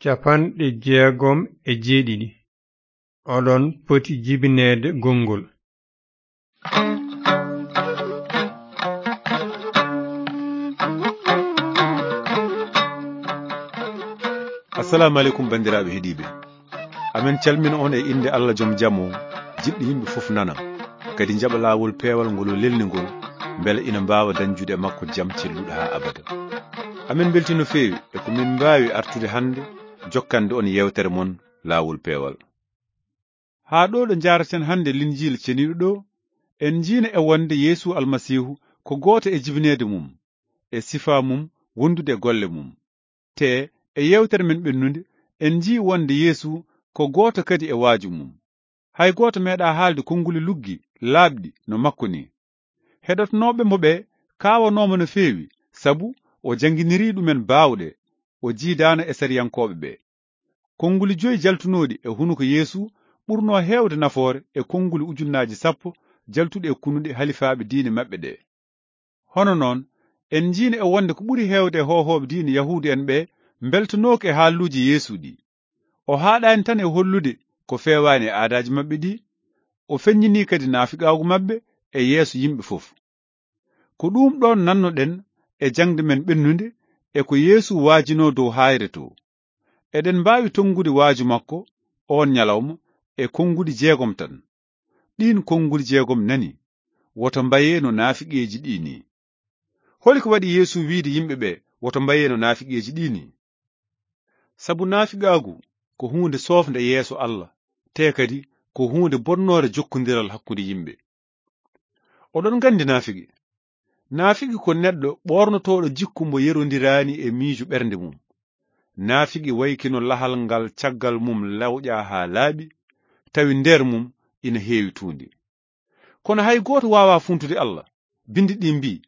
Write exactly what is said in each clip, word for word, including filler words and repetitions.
Capanɗe jeegom e jeeɗiɗi. Oɗon poti jibineede gonngol. Assalamu aleykum, banndiraaɓe heɗiiɓe. Amen calmina on e innde Allah joom jam o, jiɗɗo yimɓe fof nana, kadi njaɓa laawol peewal ngol o lelni ngol, mbele ina mbaawa dañjude e makko jam celluɗo haa abada. Amen mbeltii no feewi e ko min mbaawi artude hannde jokkande on yeewtere mon laawol peewal. Haa ɗo ɗo njaaraten hannde Linjiila ceniiɗo ɗo, en njiina e wonde Yeesu Almasiihu ko gooto e jibineede mum, e sifaa mum, wondude e golle mum. Te e yeewtere men ɓennunde, en njii wonde Yeesu ko gooto kadi e waaju mum. Hay gooto meeɗaa haalde konnguli luggi, laaɓɗi no makko ni. Heɗotonooɓe mo ɓe kaawanooma no feewi, sabu o jannginirii ɗumen baawɗe, o jiidaano e sariyankooɓe ɓe. Konnguli joyi jaltunooɗi e hunuko Yeesu ɓurnoo heewde nafoore e konnguli ujunnaaji sappo jaltuɗi e kunuɗe halifaaɓe diine maɓɓe ɗe. Hono noon, en njiino e wonde ko ɓuri heewde e hoohooɓe diine Yahuudu en ɓe mbeltanooka e haalluuji Yeesu ɗi. O haaɗaani tan e hollude ko feewaani e aadaaji maɓɓe ɗi, o feññinii kadi naafiqaagu maɓɓe e yeeso yimɓe fof. Ko ɗum ɗoon nannoɗen e jaŋde men ɓennunde e ko Yeesu waajinoo dow haayre to. Eɗen mbaawi tonngude waaju makko oon ñalawma e konnguɗi jeegom tan. Ɗiin konnguli jeegom nani, woto mbayee no naafiqeeji ɗii nii. Holi ko waɗi Yeesu wiyde yimɓe ɓe, woto mbayee no naafiqeeji ɗii nii? Sabu naafiqaagu ko huunde soofnde yeeso Allah, te kadi ko huunde bonnoore jokkondiral hakkunde yimɓe. Oɗon nganndi naafiqi? Naafiqi ko neɗɗo ɓoornotooɗo jikku mbo yerondiraani e miijo ɓernde mum. Naafiqi wayi kino lahal ngal caggal mum lawƴaa haa laaɓi, tawi nder mum ina heewi tuundi. Kono hay gooto waawaa funtude Allah. Binndi ɗi mbii,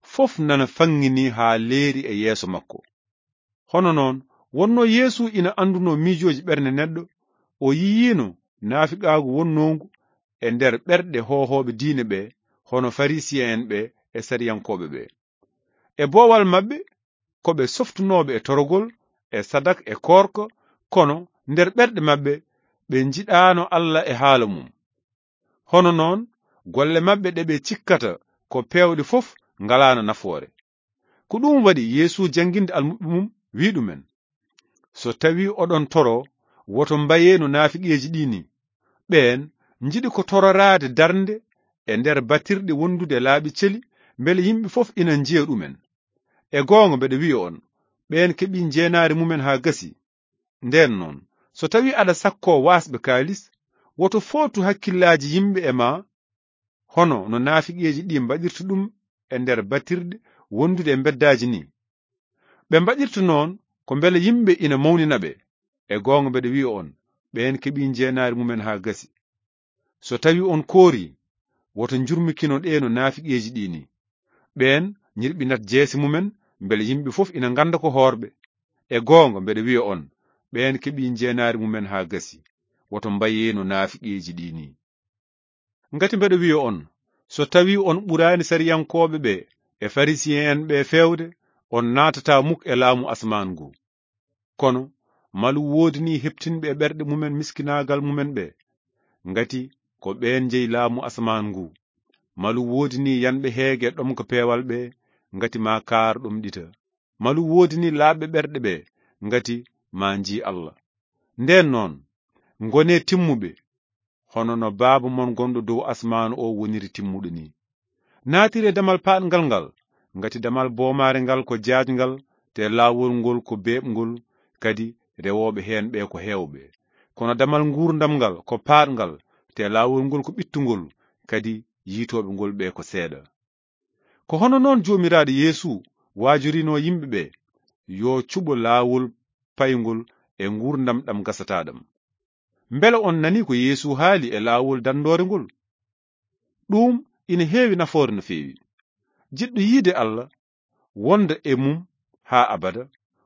fof nana faŋŋinii haa leeri e yeeso makko. Hono noon, wonnoo Yeesu ina anndunoo miijooji ɓernde neɗɗo, o yiyiino naafiqaagu wonnoongu e nder ɓerɗe hoohooɓe diine ɓe, hono Farisiye'en ɓe e sariyankooɓe ɓe. E boowal maɓɓe, ko ɓe softunooɓe e torogol, e sadak, e koorka, kono nder ɓerɗe maɓɓe, ɓe njiɗaano Allah e haala mum. Hono noon, golle maɓɓe ɗe ɓe cikkata ko peewɗe fof ngalaano nafoore. Ko ɗum waɗi Yeesu jannginde almuɓɓe mum, wii ɗumen, so tawii oɗon toro, woto mbayee no naafiqeeji ɗii nii. Ɓeen njiɗi ko tororaade darnde e nder batirɗe wondude laaɓi celi, mbele yimɓe fof ina njiya ɗumen. E goonga mbeɗa wiya on, ɓeen keɓii njeenaari mumen haa gasi. Ndeen noon, so tawii aɗa sakkoo waasɓe kaalis, woto footu hakkillaaji yimɓe e maa, hono no naafiqeeji ɗii mbaɗirta ɗum e nder batirɗe wondude e mbeddaaji nii. Ɓe mbaɗirta noon ko mbele yimɓe ina mawnina ɓe. E goonga mbeɗa wiya on, ɓeen keɓii njeenaari mumen haa gasi. So tawii on koorii, woto njurmikino ɗe no naafiqeeji ɗii nii. Ɓeen ñirɓinat jeese mumen, mbele yimɓe fof ina ngannda ko hoorɓe. E goonga mbeɗa wiya on, ɓeen keɓii njeenaari mumen haa gasi. Woto mbayee no naafiqeeji ɗii nii. Ngati mbeɗa wiya on, so tawii on ɓuraani sariyankooɓe ɓe e Farisiye'en ɓe feewde, on naatataa muk e laamu asamaan ngu. Kono malu woodinii heɓtinɓe e ɓerɗe mumen miskinaagal mumen ɓe, ngati ko ɓeen njeyi laamu asamaan ngu. Malu woodinii yanɓe heege ɗomka peewal ɓe, ngati maa kaar ɗomɗita. Malu woodinii laaɓɓe ɓerɗe ɓe, ngati maa njii Allah. Ndeen noon, ngonee timmuɓe, hono no Baaba mon gonɗo dow asamaanu o woniri timmuɗo nii. Naatiree damal paaɗngal ngal, ngati damal boomaare ngal ko jaajngal, te laawol ngol ko beeɓngol, kadi rewooɓe heen ɓe ko heewɓe. Kono damal nguurndam ngal ko paaɗngal, te laawol ngol ko ɓittungol, kadi yiytooɓe ngol ɓe ko seeɗa. Ko hono noon Joomiraaɗo Yeesu waajorinoo yimɓe ɓe, yo cuɓo laawol payngol e nguurndam ɗam gasataa ɗam. Mbele on nanii ko Yeesu haali e laawol danndoore ngol? Ɗum ina heewi nafoore no feewi. Jiɗɗo yiide Allah, wonda e mum haa abada,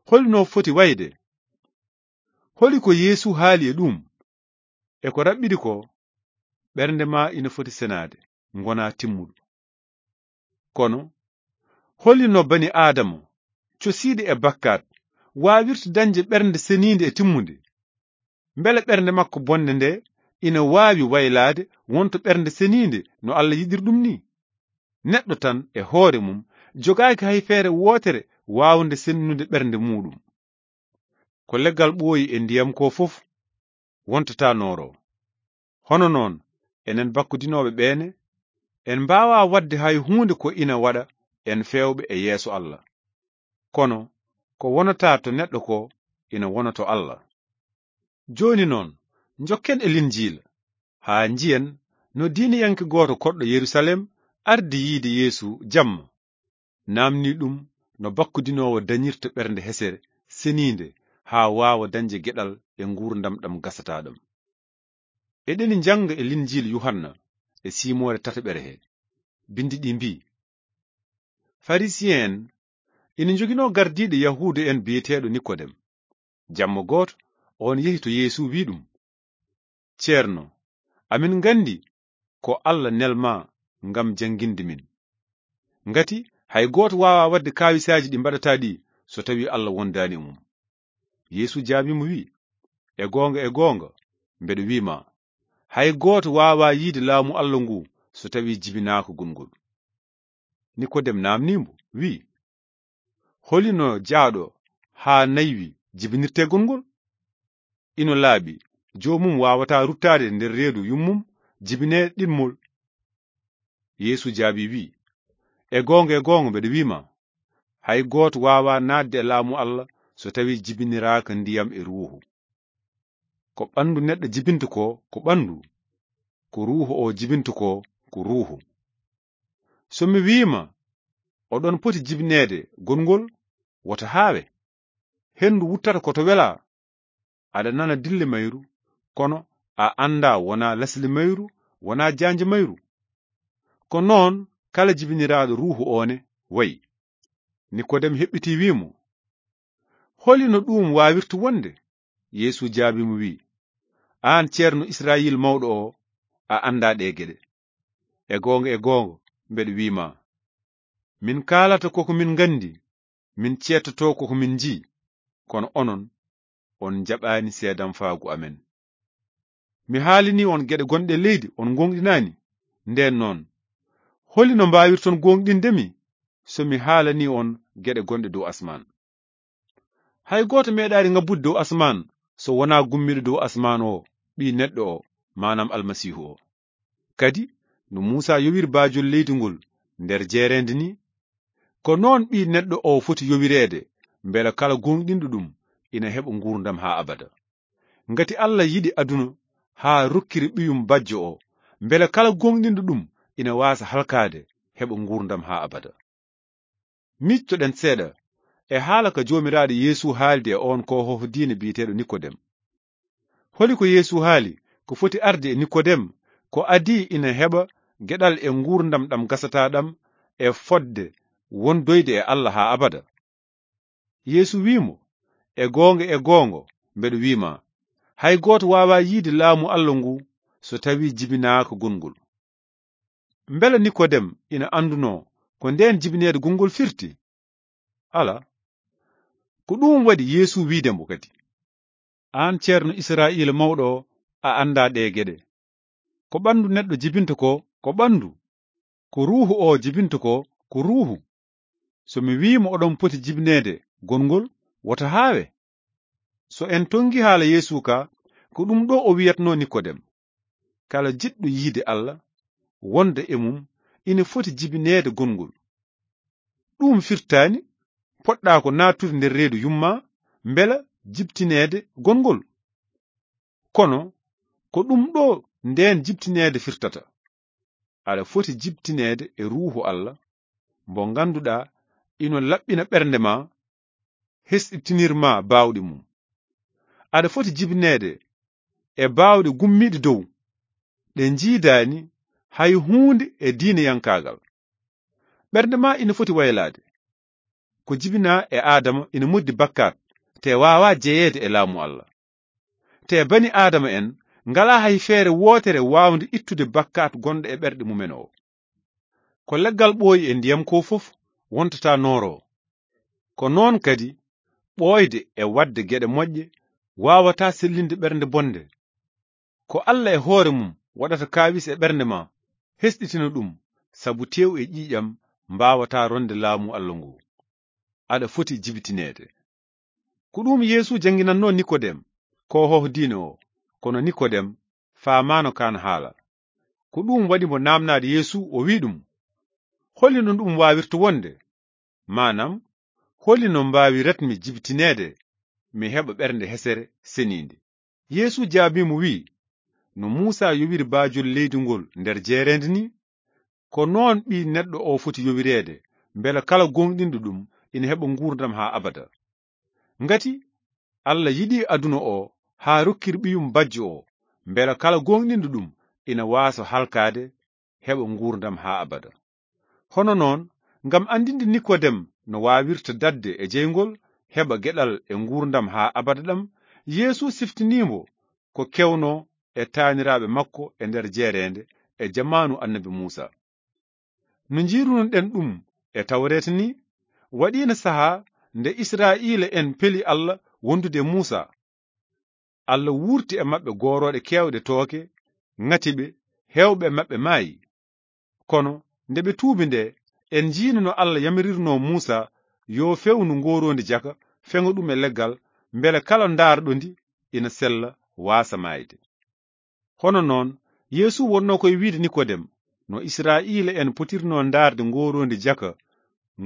holi no foti wayde? Holi ko Yeesu haali e ɗum? E ko raɓɓiɗi ko, ɓernde ma ina foti senaade, ngona timmuɗo. Kono, holi no bani Aadama, cosiiɗo e bakkaat, waawirta dañde ɓernde seniinde e timmunde? Mbele ɓernde makko bonnde nde ina waawi waylaade wonto ɓernde seniinde no Alla yiɗir ɗum ni? Neɗɗo tan e hoore mum jogaaki hay feere wootere waawnde sennude ɓernde muuɗum. Ko leggal ɓooyi e ndiyam ko fof wontata nooro. Hono noon, enen bakkudinooɓe ɓeene, en mbaawaa waɗde hay huunde ko ina waɗa en feewɓe e yeeso Alla. Kono ko wonata to neɗɗo ko ina wona to Alla. Jooni noon, njokken e Linjiila, haa njiyen no diiniyanke gooto koɗɗo Yerusalem ardi yiide Yeesu jamma, naamni ɗum no bakkudinoowo dañirta ɓernde hesere seniinde haa waawa dañde geɗal e nguurndam ɗam gasataa ɗam. Eɗeni njannga e Linjiila Yuhanna e siimoore tataɓere he, binndi ɗi mbii, Farisiye'en ina njoginoo gardiiɗo Yahuudu'en biyeteeɗo Nikodem. Jamma gooto, oon yehi to Yeesu, wii ɗum, Ceerno, amin nganndi ko Alla nel maa ngam jannginde min. Ngati hay gooto waawaa waɗde kaawisaaji ɗi mbaɗataa ɗi so tawii Alla wondaani e mum. Yeesu jaabii mo, wii, E goonga, e goonga, mbeɗa wii ma, hay gooto waawaa yiide laamu Alla ngu so tawii jibinaaka gongol. Nikodem naamnii mbo, wii, Holi no jaaɗo haa naywi jibinirtee gongol? Ino laaɓi, joomum waawataa ruttaade nder reedu yummum jibinee ɗiɗmol. Yeesu jaabii, wii, E goonga, e goonga, mbeɗa wii ma, hay gooto waawaa naatde e laamu Alla so tawii jibiniraaka ndiyam e Ruuhu. Ko ɓanndu neɗɗo jibinta ko, ko ɓanndu, ko Ruuhu o jibinta ko, ko Ruuhu. So mi wii ma, oɗon poti jibineede gongol, wota haawe. Henndu wuttata ko to welaa. Aɗa nana dille mayru, kono a anndaa wonaa lesle mayru, wonaa jaanje mayru. Ko noon kala jibiniraaɗo Ruuhu o ne wayi. Nikodem heɓɓitii, wii mo, Holi no ɗuum waawirta wonde? Yeesu jaabii mo, wii, Aan ceerno Israayiil mawɗo o, a anndaa ɗee geɗe. E goonga, e goonga, mbeɗa wii ma, min kaalata koko min nganndi, min ceedtotoo koko min njii, kono onon, on njaɓaani seedamfaagu amen. Mi haalanii on geɗe gonɗe e leydi, on ngoongɗinaani. Ndeen noon, holi no mbaawirton goongɗinde mi so mi haalanii on geɗe gonɗe dow asmaan? Hay gooto meeɗaani ngabbude dow asmaan so wonaa gummiiɗo dow asmaan o, Ɓii Neɗɗo o, maanaam Almasiihu o. Kadi no Muusaa yowiri baajol leydi ngol nder jeereende ni, ko noon Ɓii Neɗɗo o foti yowireede, mbela kala gooŋɗinɗo ɗum ina heɓa nguurndam haa abada. Ngati Alla yiɗi aduna haa rokkiri Ɓiyum Bajjo o, mbela kala gooŋɗinɗo ɗum ina waasa halkaade, heɓa nguurndam haa abada. Miijtoɗen seeɗa e haala ka Joomiraaɗo Yeesu haaldi e oon koohooho diine biyeteeɗo Nikodem. Holi ko Yeesu haali ko foti arde e Nikodem, ko adii ina heɓa geɗal e nguurndam ɗam gasataa ɗam e fotde wondoyde e Alla haa abada? Yeesu wii mo, E goonga, e goonga, mbeɗa wii ma, hay gooto waawaa yiide laamu Alla ngu so tawii jibinaaka gongol. Mbela Nikodem ina anndunoo ko ndeen jibineede gongol firti? Alaa. Ko ɗuum waɗi Yeesu wiide mbo kadi, Aan ceerno Israa'iila mawɗo o, a anndaa ɗee geɗe. Ko ɓanndu neɗɗo jibinta ko, ko ɓanndu. Ko Ruuhu o jibinta ko, ko Ruuhu. So mi wii mo oɗon poti jibineede gongol, wota haawe. So en tonngi haala Yeesu ka, ko ɗum ɗo o wiyatnoo Nikodem. Kala jiɗɗo yiide Alla, wonda e mum, ina foti jibineede gongol. Ɗum firtaani poɗɗaa ko naattude nder reedu yumma, mbela jibtineede gongol. Kono ko ɗum ɗo ndeen jibtineede firtata. Aɗa foti jibtineede e Ruuhu Alla, mbo ngannduɗaa ino laɓɓina ɓernde ma, hesɗitinir ma baawɗe mum. Aɗa foti jibineede e baawɗe gummiiɗe dow, ɗe njiidaani hay huunde e diineyankaagal. Ɓernde ma ina foti waylaade. Ko jibinaa e Aadama ina moddi bakkaat, te waawaa jeyeede e laamu Alla. Te bani Aadama en ngalaa hay feere wootere waawnde ittude bakkaat gonɗo e ɓerɗe mumen o. Ko leggal ɓooyi e ndiyam ko fof wontata nooro. Ko noon kadi ɓooyde e waɗde geɗe moƴƴe waawataa sellinde ɓernde bonde. Ko Alla e hoore mum waɗata kaawis e ɓernde ma, hesɗitina ɗum, sabu tew e ƴiiƴam mbaawataa ronde laamu Alla ngu. Aɗa foti jibitineede. Ko ɗum Yeesu jannginannoo Nikodem, ko hoho diine o. Kono Nikodem faamaano kaan haala. Ko ɗum waɗi mo naamnaade Yeesu, o wi'i ɗum, "Holi no ɗum waawirta wonde?" Maanam, "Holi no mbaawiratmi jibitineede, mi heɓa ɓernde hesere seniinde?" Yeesu jaabii mo, wi'i, "No Muusa yowiri baajol leydi ngol nder jeereende ni, ko noon Ɓii Neɗɗo o foti yowireede, mbela kala gooŋɗinɗo ɗum ina heɓa nguurndam haa abada." Ngati Alla yiɗi aduna o haa rokkiri Ɓiyum bajjo o, mbela kala gooŋɗinɗo ɗum ina waasa halkaade, heɓa nguurndam haa abada. Hono noon, ngam anndinde Nikodem no waawirta daɗde e jeyngol, heɓa geɗal e nguurndam haa abada ɗam, Yeesu siftinii mo ko kewnoo e taaniraaɓe makko e nder jeereende e jamaanu Annabi Muusa. No njiirunoɗen ɗum e Tawreeta ni, waɗiino sahaa nde Israa'iila'en peli Alla wondude e Muusa. Alla wuurti e maɓɓe goorooɗe keewɗe tooke, ŋati ɓe, heewɓe e maɓɓe maayi. Kono nde ɓe tuubi nde, en njiino no Alla yamirirnoo Muusa yo fewnu ngooroondi jaka, feŋa ɗum e leggal, mbele kala ndaarɗo ndi ina sella, waasa maayde. Hono noon, Yeesu wonnoo koye wiide Nikodem, no Israa'iila'en potirnoo ndaarde ngooroondi jaka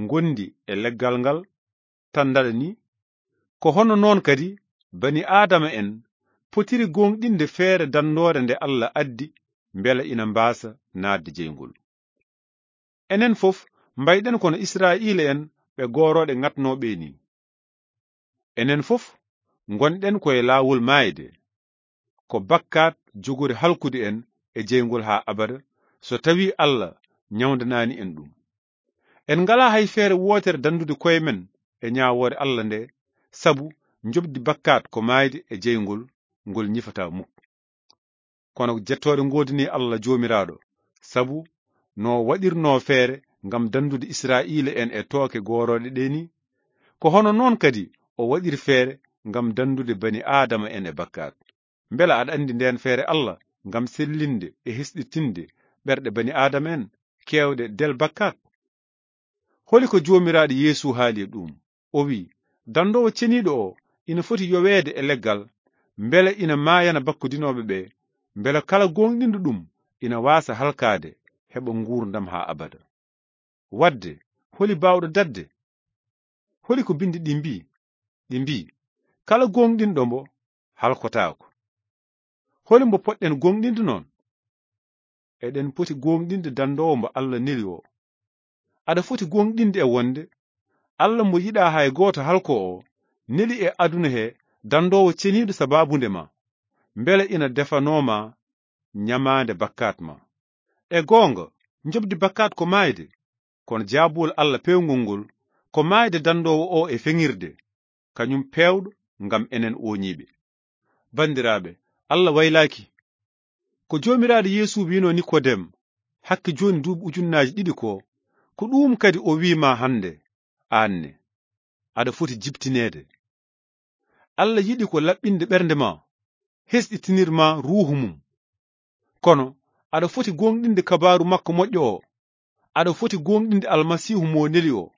ngondi e leggal ngal tan ndaɗa ni, ko hono noon kadi bani Aadama en potiri gooŋɗinde feere danndoore nde Alla addi mbela ina mbaasa naatde jeyngol. Enen fof mbayɗen kono Israa'iila'en ɓe goorooɗe ŋatnooɓe ni. Enen fof ngonɗen koye laawol maayde. Ko bakkaat jogori halkude en e jeyngol haa abada, so tawii Alla ñawndanaani en ɗum. En ngalaa hay feere wootere danndude koye men e ñaawoore Alla nde, sabu njoɓdi bakkaat ko maayde e jeyngol ngol ñifataa muk. Kono jettooɗe ngoodanii Alla Joomiraaɗo, sabu no waɗirnoo feere ngam danndude Israa'iila'en e tooke goorooɗe ɗe ni, ko hono noon kadi o waɗiri feere ngam danndude bani Aadama en e bakkaat. Mbela aɗa anndi ndeen feere Alla ngam sellinde e hesɗitinde ɓerɗe bani Aadama en keewɗe del bakkaat? Holi ko Joomiraaɗo Yeesu haali e ɗum? O wi'i, danndoowo ceniiɗo o ina foti yoweede e leggal, mbele ina maayana bakkudinooɓe ɓe, mbele kala gooŋɗinɗo ɗum ina waasa halkaade, heɓa nguurndam haa abada. Waɗde, holi baawɗo daɗde? Holi ko binndi ɗi mbii? Ɗi mbii, kala gooŋɗinɗo mbo halkotaako. Holi mbo poɗɗen gooŋɗinde noon? Eɗen poti gooŋɗinde danndoowo mbo Alla neli o. Aɗa foti gooŋɗinde e wonde Alla mbo yiɗaa hay gooto halko o neli e aduna he danndoowo ceniiɗo sabaabunde ma, mbele ina defanoo ma ñamaande bakkaat ma. E goonga, njoɓdi bakkaat ko maayde, kono jaabuwol Alla peewngol ngol ko maayde danndoowo o e feŋirde, kañum peewɗo ngam enen ooñiiɓe. Banndiraaɓe, Alla waylaaki. Ko Joomiraaɗo Yeesu wi'noo Nikodem, hakke jooni duuɓi ujunnaaji ɗiɗi ko, ko ɗuum kadi o wi'i ma hannde, aan ne, aɗa foti jibtineede. Alla yiɗi ko laɓɓinde ɓernde ma, hesɗitinir ma ruuhu mum. Kono aɗa foti gooŋɗinde kabaaru makko moƴƴo o. Aɗa foti gooŋɗinde Almasiihu mo neli o.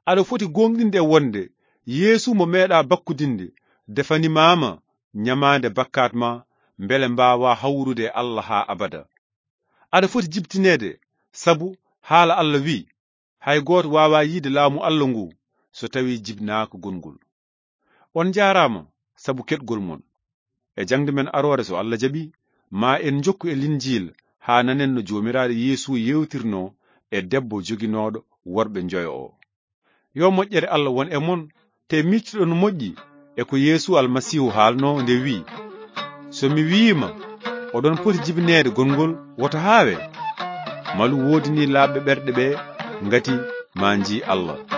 Aɗa foti gooŋɗinde e wonde Yeesu mo meeɗaa bakkudinde defanimaama ñamaande bakkaat ma, mbele mbaawaa hawrude e Alla haa abada. Aɗa foti jibtineede, sabu haala Alla wi'i, hay gooto waawaa yiide laamu Alla ngu so tawii jibinaaka gongol. On njaaraama sabu keɗgol mon. E jaŋde men aroore, so Alla jaɓi, ma en njokku e Linjiil haa nanen no Joomiraaɗo Yeesu yeewtirnoo e debbo joginooɗo worɓe njoyo o. Yo moƴƴere Alla won e mon, te miccuɗon moƴƴi e ko Yeesu Almasiihu haalnoo nde wi'i, "So mi wi'iima, oɗon poti jibineede gongol, woto haawe. Malu woodinii laaɓɓe ɓerɗe ɓe ngati ma njii Alla."